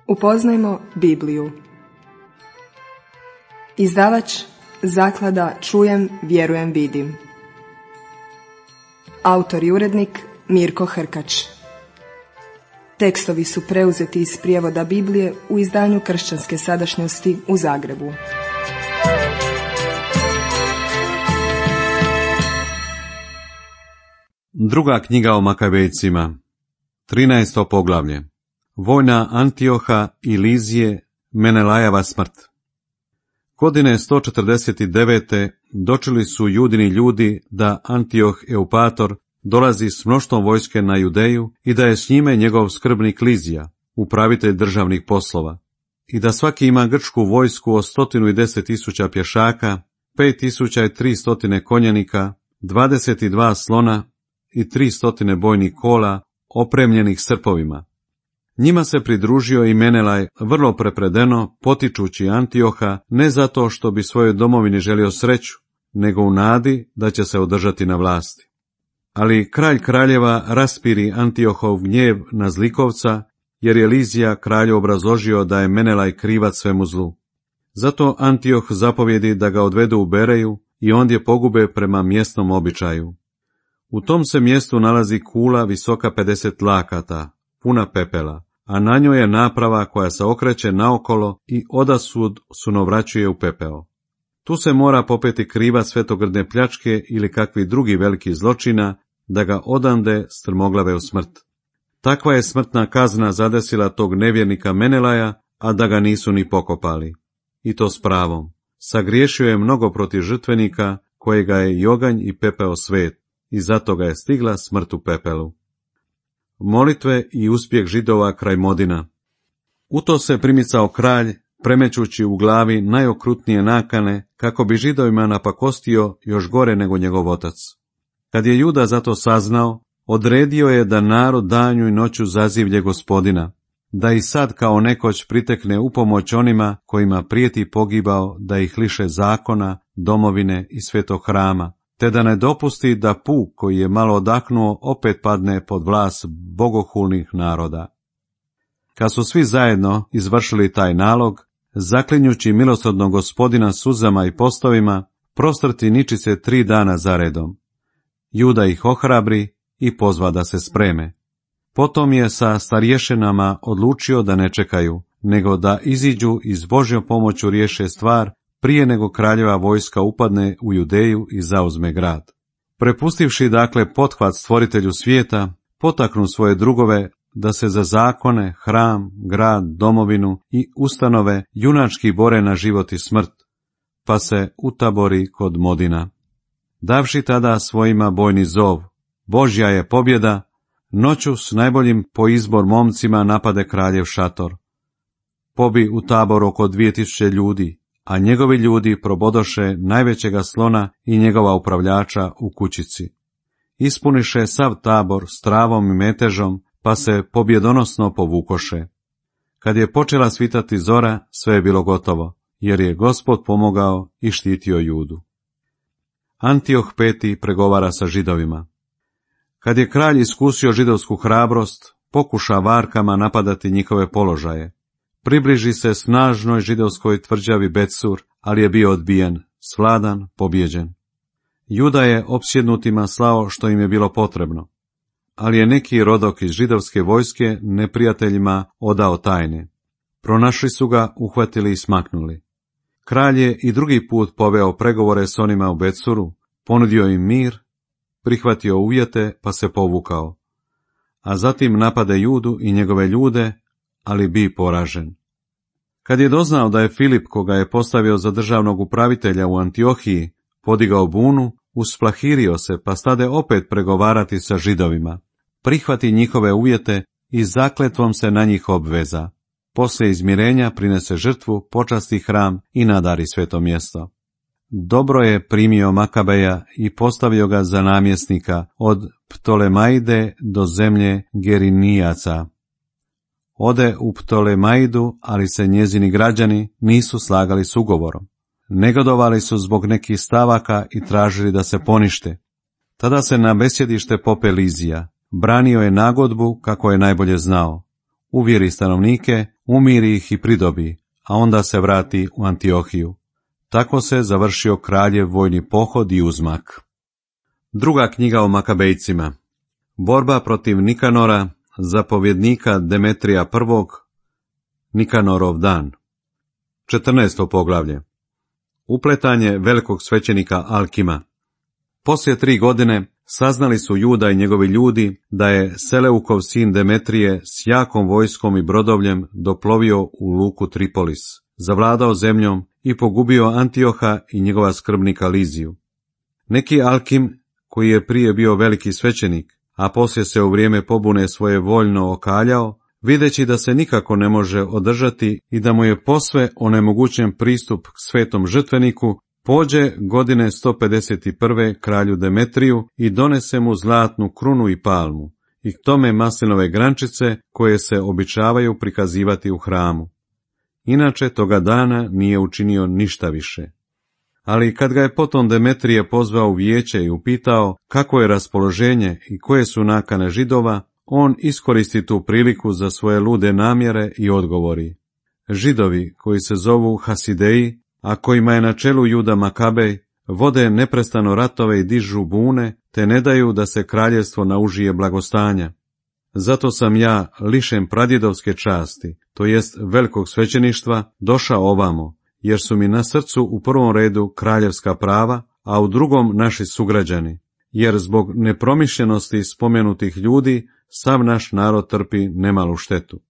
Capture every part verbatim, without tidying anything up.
Upoznajmo Bibliju. Izdavač Zaklada Čujem, vjerujem, vidim. Autor i urednik Mirko Hrkač. Tekstovi su preuzeti iz prijevoda Biblije u izdanju Kršćanske sadašnjosti u Zagrebu. Druga knjiga o Makabejcima, trinaesto poglavlje. Vojna Antioha i Lizije, Menelajeva smrt. Godine sto četrdeset devete dočeli su Judini ljudi da Antioh Eupator dolazi s mnoštvom vojske na Judeju i da je s njime njegov skrbnik Lizija, upravitelj državnih poslova, i da svaki ima grčku vojsku od stotinu i deset tisuća pješaka, pet tisuća i tri stotine konjenika, dvadeset dva slona i tri stotine bojnih kola opremljenih srpovima. Njima se pridružio i Menelaj vrlo prepredeno, potičući Antioha ne zato što bi svojoj domovini želio sreću, nego u nadi da će se održati na vlasti. Ali kralj kraljeva raspiri Antiohov gnjev na zlikovca, jer je Lizija kralju obrazložio da je Menelaj krivac svemu zlu. Zato Antioh zapovjedi da ga odvedu u Bereju i ondje pogube prema mjesnom običaju. U tom se mjestu nalazi kula visoka pedeset lakata, puna pepela, a na njoj je naprava koja se okreće naokolo i odasud sunovraćuje u pepeo. Tu se mora popeti krivac svetogrdne pljačke ili kakvi drugi veliki zločina, da ga odande strmoglave u smrt. Takva je smrtna kazna zadesila tog nevjernika Menelaja, a da ga nisu ni pokopali. I to s pravom. Sagriješio je mnogo protiv žrtvenika, kojega je i oganj i pepeo svet, i zato ga je stigla smrt u pepelu. Molitve i uspjeh Židova kraj Modina. U to se primicao kralj, premećući u glavi najokrutnije nakane, kako bi Židovima napakostio još gore nego njegov otac. Kad je Juda zato saznao, odredio je da narod danju i noću zazivlje Gospodina, da i sad kao nekoć pritekne u pomoć onima kojima prijeti pogibao, da ih liše zakona, domovine i svetog hrama, te da ne dopusti da puk koji je malo odahnuo opet padne pod vlast bogohulnih naroda. Kad su svi zajedno izvršili taj nalog, zaklinjući milosrdnog Gospodina suzama i postovima, prostrti niči se tri dana zaredom. Juda ih ohrabri i pozva da se spreme. Potom je sa starješinama odlučio da ne čekaju, nego da iziđu i s Božjom pomoću riješe stvar prije nego kraljeva vojska upadne u Judeju i zauzme grad. Prepustivši dakle pothvat stvoritelju svijeta, potaknu svoje drugove da se za zakone, hram, grad, domovinu i ustanove junački bore na život i smrt, pa se utabori kod Modina. Davši tada svojima bojni zov, Božja je pobjeda, noću s najboljim po izbor momcima napade kraljev šator. Pobi u tabor oko dvije tisuće ljudi, a njegovi ljudi probodoše najvećega slona i njegova upravljača u kućici. Ispuniše sav tabor s travom i metežom, pa se pobjedonosno povukoše. Kad je počela svitati zora, sve je bilo gotovo, jer je Gospod pomogao i štitio Judu. Antioh peti pregovara sa Židovima. Kad je kralj iskusio židovsku hrabrost, pokuša varkama napadati njihove položaje. Približi se snažnoj židovskoj tvrđavi Betsur, ali je bio odbijen, svladan, pobjeđen. Juda je opsjednutima slao što im je bilo potrebno, ali je neki rodok iz židovske vojske neprijateljima odao tajne. Pronašli su ga, uhvatili i smaknuli. Kralj je i drugi put poveo pregovore s onima u Betsuru, ponudio im mir, prihvatio uvjete pa se povukao. A zatim napade Judu i njegove ljude, ali bi poražen. Kad je doznao da je Filip, koga je postavio za državnog upravitelja u Antiohiji, podigao bunu, usplahirio se pa stade opet pregovarati sa Židovima. Prihvati njihove uvjete i zakletvom se na njih obveza. Poslije izmirenja prinese žrtvu, počasti hram i nadari sveto mjesto. Dobro je primio Makabeja i postavio ga za namjesnika od Ptolemajde do zemlje Gerinijaca. Ode u Ptolemaidu, ali se njezini građani nisu slagali s ugovorom. Negodovali su zbog nekih stavaka i tražili da se ponište. Tada se na besjedište pope Lizija. Branio je nagodbu kako je najbolje znao. Uvjeri stanovnike, umiri ih i pridobi, a onda se vrati u Antiohiju. Tako se završio kraljev vojni pohod i uzmak. Druga knjiga o Makabejcima. Borba protiv Nikanora, zapovjednika Demetrija prvog, Nikanorov dan. četrnaesto poglavlje. Upletanje velikog svećenika Alkima. Poslije tri godine saznali su Juda i njegovi ljudi da je Seleukov sin Demetrije s jakom vojskom i brodovljem doplovio u luku Tripolis, zavladao zemljom i pogubio Antioha i njegova skrbnika Liziju. Neki Alkim, koji je prije bio veliki svećenik, a poslije se u vrijeme pobune svoje voljno okaljao, videći da se nikako ne može održati i da mu je posve onemogućen pristup k svetom žrtveniku, pođe godine sto pedeset prve kralju Demetriju i donese mu zlatnu krunu i palmu, i k tome maslinove grančice koje se običavaju prikazivati u hramu. Inače toga dana nije učinio ništa više. Ali kad ga je potom Demetrije pozvao u vijeće i upitao kako je raspoloženje i koje su nakane Židova, on iskoristi tu priliku za svoje lude namjere i odgovori: Židovi, koji se zovu Hasideji, a kojima je na čelu Juda Makabej, vode neprestano ratove i dižu bune, te ne daju da se kraljevstvo naužije blagostanja. Zato sam ja, lišen pradjedovske časti, to jest velikog svećeništva, došao ovamo, jer su mi na srcu u prvom redu kraljevska prava, a u drugom naši sugrađani, jer zbog nepromišljenosti spomenutih ljudi sav naš narod trpi nemalu štetu.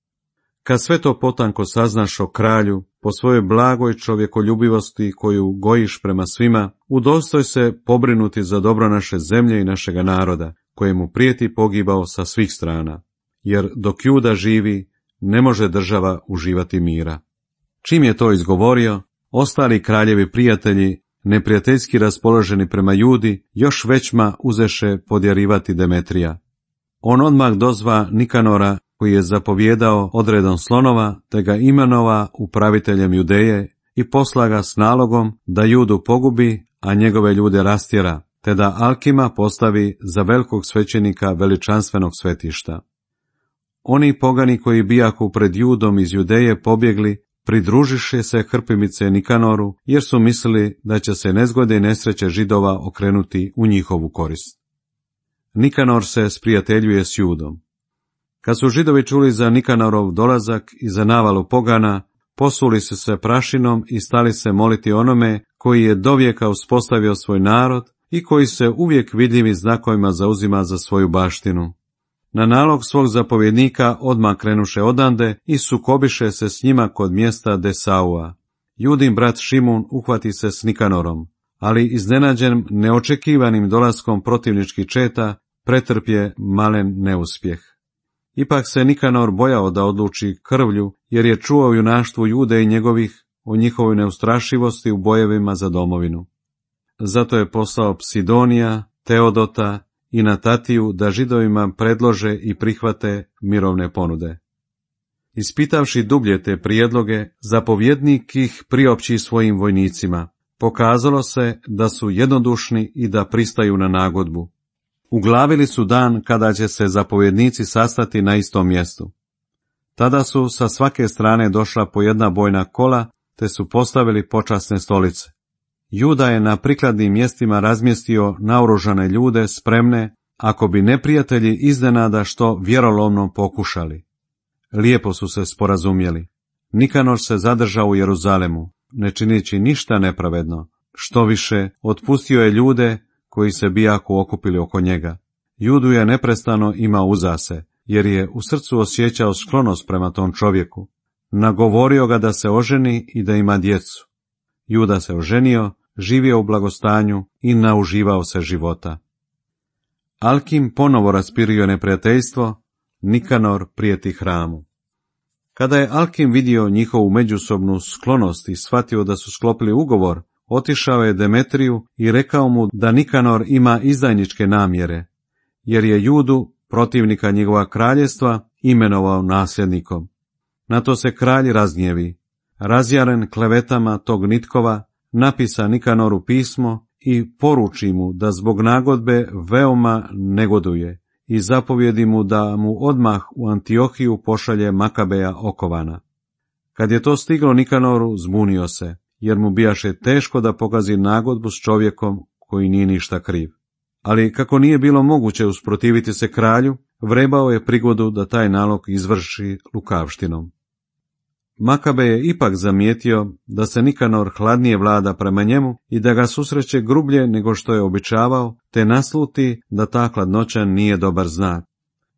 Kad sve to potanko saznaš o kralju, po svojoj blagoj čovjekoljubivosti koju gojiš prema svima, udostoj se pobrinuti za dobro naše zemlje i našega naroda, kojemu prijeti pogibao sa svih strana, jer dok Juda živi, ne može država uživati mira. Čim je to izgovorio, ostali kraljevi prijatelji, neprijateljski raspoloženi prema Judi, još većma uzeše podjarivati Demetrija. On odmah dozva Nikanora, koji je zapovjedao odredom slonova, te ga imenova upraviteljem Judeje i posla ga s nalogom da Judu pogubi, a njegove ljude rastjera, te da Alkima postavi za velikog svećenika veličanstvenog svetišta. Oni pogani koji bijahu pred Judom iz Judeje pobjegli, pridružiše se Hrpimice Nikanoru, jer su mislili da će se nezgode i nesreće Židova okrenuti u njihovu korist. Nikanor se sprijateljuje s Judom. Kad su Židovi čuli za Nikanorov dolazak i za navalu pogana, posuli su se prašinom i stali se moliti onome koji je dovijeka uspostavio svoj narod i koji se uvijek vidljivim znakovima zauzima za svoju baštinu. Na nalog svog zapovjednika odmah krenuše odande i sukobiše se s njima kod mjesta Desaua. Judin brat Šimun uhvati se s Nikanorom, ali iznenađen neočekivanim dolaskom protivničkih četa pretrpje malen neuspjeh. Ipak se Nikanor bojao da odluči krvlju, jer je čuo junaštvu Jude i njegovih o njihovoj neustrašivosti u bojevima za domovinu. Zato je poslao Psidonija, Teodota i Natatiju da Židovima predlože i prihvate mirovne ponude. Ispitavši dublje te prijedloge, zapovjednik ih priopći svojim vojnicima. Pokazalo se da su jednodušni i da pristaju na nagodbu. Uglavili su dan kada će se zapovjednici sastati na istom mjestu. Tada su sa svake strane došla po jedna bojna kola, te su postavili počasne stolice. Juda je na prikladnim mjestima razmjestio naoružane ljude spremne, ako bi neprijatelji iznenada što vjerolomno pokušali. Lijepo su se sporazumjeli. Nikanor se zadržao u Jeruzalemu, ne činići ništa nepravedno. Što više, otpustio je ljude koji se bijaku okupili oko njega. Judu je neprestano imao uza se, jer je u srcu osjećao sklonost prema tom čovjeku. Nagovorio ga da se oženi i da ima djecu. Juda se oženio, živio u blagostanju i nauživao se života. Alkim ponovo raspirio neprijateljstvo, Nikanor prijeti hramu. Kada je Alkim vidio njihovu međusobnu sklonost i shvatio da su sklopili ugovor, otišao je Demetriju i rekao mu da Nikanor ima izdajničke namjere, jer je Judu, protivnika njegova kraljevstva, imenovao nasljednikom. Na to se kralj razgnjevi. Razjaren klevetama tog Nitkova, napisa Nikanoru pismo i poruči mu da zbog nagodbe veoma negoduje i zapovjedi mu da mu odmah u Antiohiju pošalje Makabeja okovana. Kad je to stiglo Nikanoru, zbunio se, jer mu bijaše teško da pokazi nagodbu s čovjekom koji nije ništa kriv. Ali kako nije bilo moguće usprotiviti se kralju, vrebao je prigodu da taj nalog izvrši lukavštinom. Makabe je ipak zamijetio da se Nikanor hladnije vlada prema njemu i da ga susreće grublje nego što je običavao, te nasluti da ta hladnoća nije dobar znak.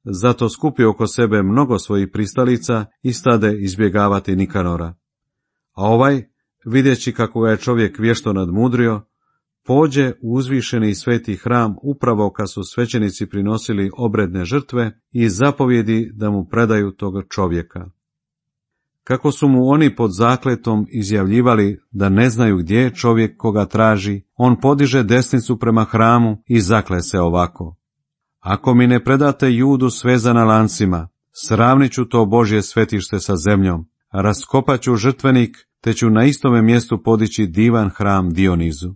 Zato skupi oko sebe mnogo svojih pristalica i stade izbjegavati Nikanora. A ovaj, vidjeći kako ga je čovjek vješto nadmudrio, pođe u uzvišeni sveti hram upravo kad su svećenici prinosili obredne žrtve i zapovjedi da mu predaju toga čovjeka. Kako su mu oni pod zakletom izjavljivali da ne znaju gdje je čovjek koga traži, on podiže desnicu prema hramu i zakle se ovako: ako mi ne predate Judu svezana lancima, sravnit ću to Božje svetište sa zemljom, raskopat ću žrtvenik, te ću na istome mjestu podići divan hram Dionizu.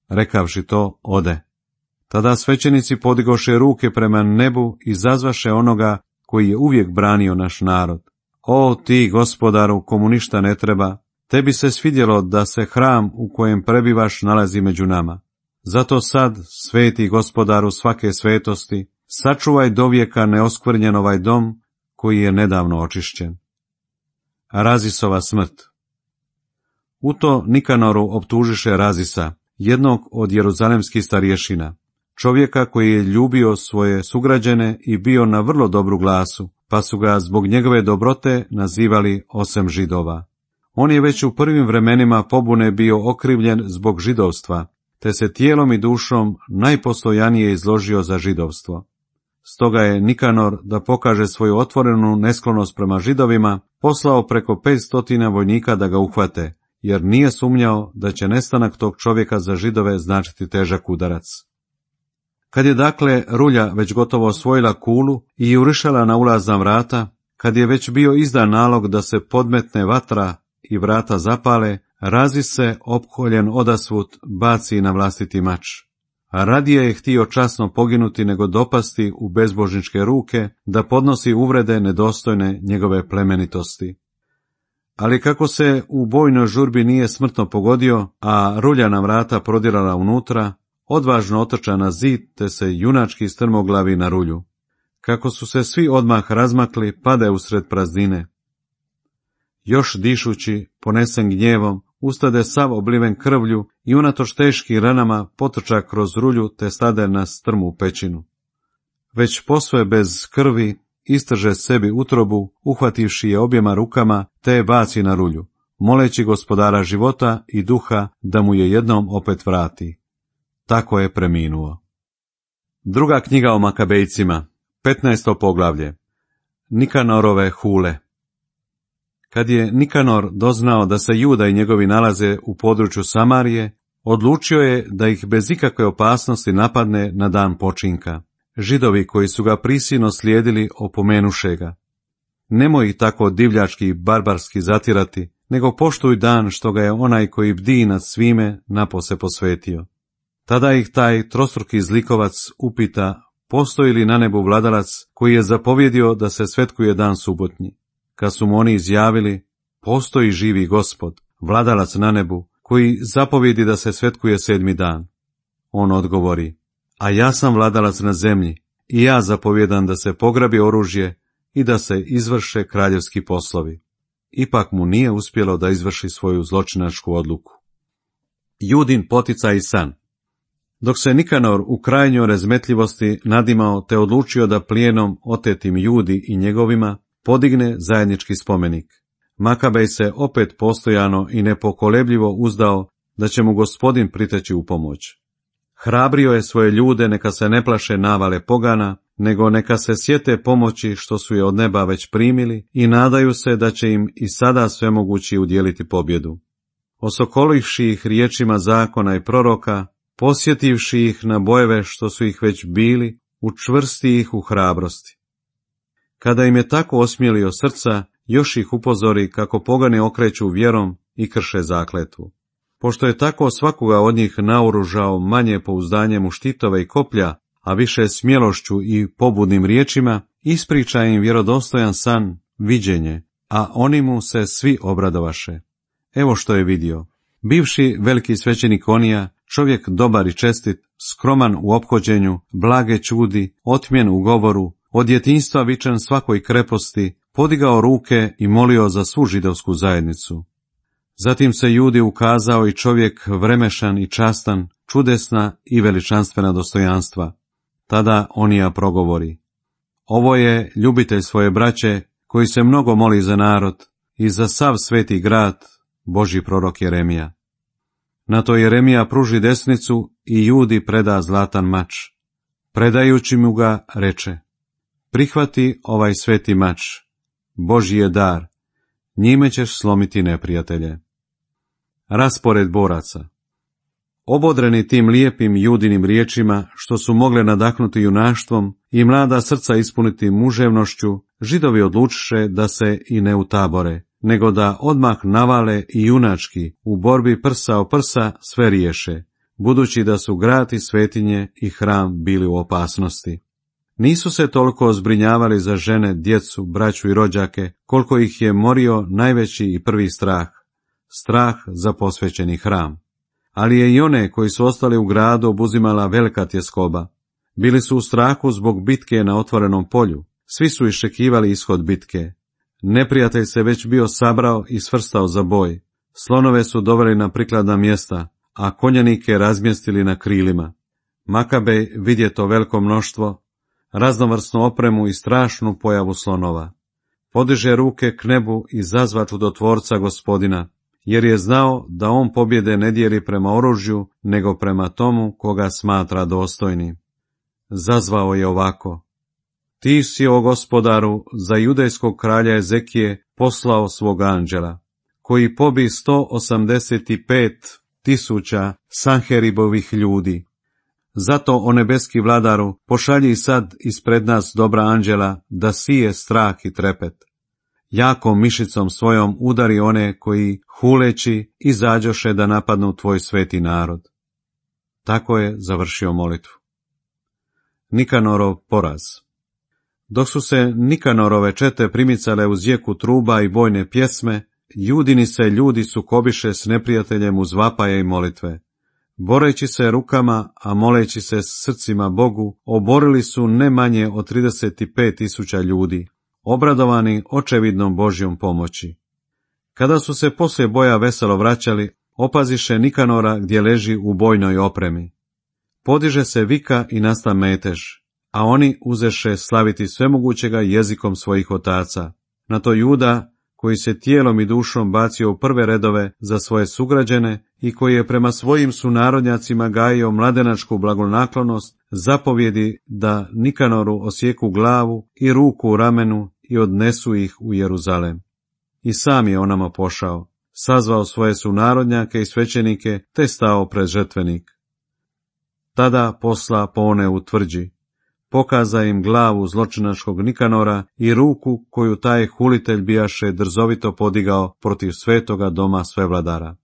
Rekavši to, ode. Tada svećenici podigoše ruke prema nebu i zazvaše onoga koji je uvijek branio naš narod. O ti, gospodaru, komu ništa ne treba, tebi se svidjelo da se hram u kojem prebivaš nalazi među nama. Zato sad, sveti gospodaru svake svetosti, sačuvaj dovijeka neoskvrnjen ovaj dom koji je nedavno očišćen. Razisova smrt. U to Nikanoru optužiše Razisa, jednog od jeruzalemskih starješina, čovjeka koji je ljubio svoje sugrađene i bio na vrlo dobru glasu, pa su ga zbog njegove dobrote nazivali osem židova. On je već u prvim vremenima pobune bio okrivljen zbog židovstva, te se tijelom i dušom najpostojanije izložio za židovstvo. Stoga je Nikanor, da pokaže svoju otvorenu nesklonost prema židovima, poslao preko petstotina vojnika da ga uhvate, jer nije sumnjao da će nestanak tog čovjeka za židove značiti težak udarac. Kad je dakle rulja već gotovo osvojila kulu i jurišala na ulazna vrata, kad je već bio izdan nalog da se podmetne vatra i vrata zapale, Razis se, opkoljen odasvud, baci na vlastiti mač. A radije je htio časno poginuti nego dopasti u bezbožničke ruke da podnosi uvrede nedostojne njegove plemenitosti. Ali kako se u bojnoj žurbi nije smrtno pogodio, a ruljana vrata prodirala unutra, odvažno otrča na zid, te se junački strmoglavi na rulju. Kako su se svi odmah razmakli, pade usred praznine. Još dišući, ponesen gnjevom, ustade sav obliven krvlju i unatoč teškim ranama potrča kroz rulju te stade na strmu pećinu. Već posve bez krvi istrže sebi utrobu, uhvativši je objema rukama, te je baci na rulju, moleći gospodara života i duha da mu je jednom opet vrati. Tako je preminuo. Druga knjiga o Makabejcima, petnaesto poglavlje. Nikanorove hule. Kad je Nikanor doznao da se Juda i njegovi nalaze u području Samarije, odlučio je da ih bez ikakve opasnosti napadne na dan počinka. Židovi koji su ga prisilno slijedili opomenuše ga: nemoj ih tako divljački i barbarski zatirati, nego poštuj dan što ga je onaj koji bdi nad svime napose posvetio. Tada ih taj trostruki zlikovac upita postoji li na nebu vladalac koji je zapovjedio da se svetkuje dan subotnji. Kad su mu oni izjavili: postoji živi Gospod, vladalac na nebu, koji zapovjedi da se svetkuje sedmi dan. On odgovori: a ja sam vladalac na zemlji i ja zapovjedam da se pograbi oružje i da se izvrše kraljevski poslovi. Ipak mu nije uspjelo da izvrši svoju zločinačku odluku. Judin poticaj i san. Dok se Nikanor u krajnjoj razmetljivosti nadimao te odlučio da plijenom otetim Judi i njegovima podigne zajednički spomenik, Makabej se opet postojano i nepokolebljivo uzdao da će mu Gospodin priteći u pomoć. Hrabrio je svoje ljude neka se ne plaše navale pogana, nego neka se sjete pomoći što su je od neba već primili i nadaju se da će im i sada svemogući udjeliti pobjedu. Osokolivši ih riječima zakona i proroka, posjetivši ih na bojeve što su ih već bili, učvrsti ih u hrabrosti. Kada im je tako osmjelio srca, još ih upozori kako pogani okreću vjerom i krše zakletvu. Pošto je tako svakoga od njih naoružao manje pouzdanjem u štitove i koplja, a više smjelošću i pobudnim riječima, ispriča im vjerodostojan san, viđenje a oni mu se svi obradovaše. Evo što je vidio. Bivši veliki svećenik Onija, čovjek dobar i čestit, skroman u ophođenju, blage čudi, otmjen u govoru, od djetinjstva vičan svakoj kreposti, podigao ruke i molio za svu židovsku zajednicu. Zatim se Judi ukazao i čovjek vremešan i častan, čudesna i veličanstvena dostojanstva. Tada Onija progovori: ovo je ljubitelj svoje braće, koji se mnogo moli za narod i za sav sveti grad, Božji prorok Jeremija. Na to Jeremija pruži desnicu i Judi preda zlatan mač. Predajući mu ga, reče: prihvati ovaj sveti mač, Božji je dar, njime ćeš slomiti neprijatelje. Raspored boraca. Obodreni tim lijepim Judinim riječima, što su mogle nadahnuti junaštvom i mlada srca ispuniti muževnošću, Židovi odlučiše da se i ne utabore, nego da odmah navale i junački u borbi prsa o prsa sve riješe, budući da su grad i svetinje i hram bili u opasnosti. Nisu se toliko zbrinjavali za žene, djecu, braću i rođake, koliko ih je morio najveći i prvi strah, strah za posvećeni hram. Ali je i one koji su ostali u gradu obuzimala velika tjeskoba. Bili su u strahu zbog bitke na otvorenom polju, svi su iščekivali ishod bitke. Neprijatelj se već bio sabrao i svrstao za boj, slonove su doveli na prikladna mjesta, a konjanike razmjestili na krilima. Makabej vidje to veliko mnoštvo, raznovrsnu opremu i strašnu pojavu slonova. Podiže ruke k nebu i zazva čudotvorca Gospodina, jer je znao da on pobjede ne dijeli prema oružju, nego prema tomu koga smatra dostojnim. Zazvao je ovako: ti si, o Gospodaru, za judejskog kralja Ezekije poslao svog anđela, koji pobi sto osamdeset pet tisuća Sanheribovih ljudi. Zato, o nebeski vladaru, pošalji sad ispred nas dobra anđela, da sije strah i trepet. Jakom mišicom svojom udari one koji, huleći, izađoše da napadnu tvoj sveti narod. Tako je završio molitvu. Nikanorov poraz. Dok su se Nikanorove čete primicale uz jeku truba i bojne pjesme, Judini se ljudi sukobiše s neprijateljem uz vapaje i molitve. Boreći se rukama, a moleći se srcima Bogu, oborili su ne manje od trideset pet tisuća ljudi, obradovani očevidnom Božjom pomoći. Kada su se poslije boja veselo vraćali, opaziše Nikanora gdje leži u bojnoj opremi. Podiže se vika i nasta metež, a oni uzeše slaviti svemogućega jezikom svojih otaca. Na to Juda, koji se tijelom i dušom bacio u prve redove za svoje sugrađene i koji je prema svojim sunarodnjacima gajio mladenačku blagonaklonost, zapovjedi da Nikanoru osjeku glavu i ruku u ramenu i odnesu ih u Jeruzalem. I sam je onamo pošao, sazvao svoje sunarodnjake i svećenike, te stao pred žrtvenik. Tada posla po one u tvrđi, pokaza im glavu zločinačkog Nikanora i ruku koju taj hulitelj bijaše drzovito podigao protiv svetoga doma svevladara.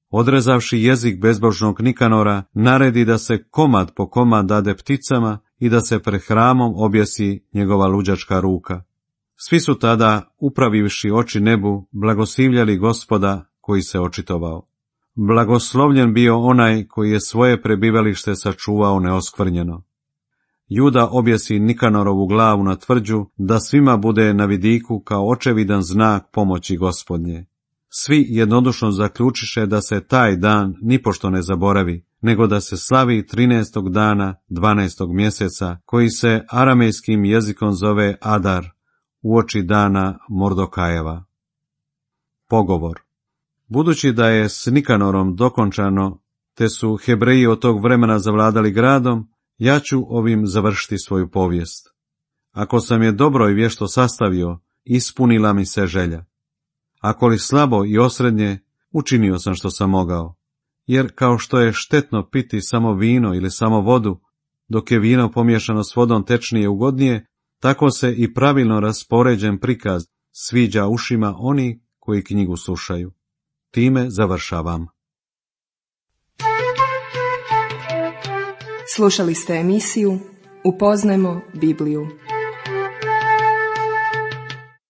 Odrezavši jezik bezbožnog Nikanora, naredi da se komad po komad dade pticama i da se pred hramom objesi njegova luđačka ruka. Svi su tada, upravivši oči nebu, blagoslivljali Gospoda koji se očitovao. Blagoslovljen bio onaj koji je svoje prebivalište sačuvao neoskvrnjeno. Juda objesi Nikanorovu glavu na tvrđu, da svima bude na vidiku kao očevidan znak pomoći Gospodnje. Svi jednodušno zaključiše da se taj dan nipošto ne zaboravi, nego da se slavi trinaestog dana dvanaestog mjeseca, koji se aramejskim jezikom zove Adar, uoči dana Mordokajeva. Pogovor. Budući da je s Nikanorom dokončano, te su Hebreji od tog vremena zavladali gradom, ja ću ovim završiti svoju povijest. Ako sam je dobro i vješto sastavio, ispunila mi se želja. Ako li slabo i osrednje, učinio sam što sam mogao. Jer kao što je štetno piti samo vino ili samo vodu, dok je vino pomiješano s vodom tečnije ugodnije, tako se i pravilno raspoređen prikaz sviđa ušima oni koji knjigu slušaju. Time završavam. Slušali ste emisiju Upoznajmo Bibliju.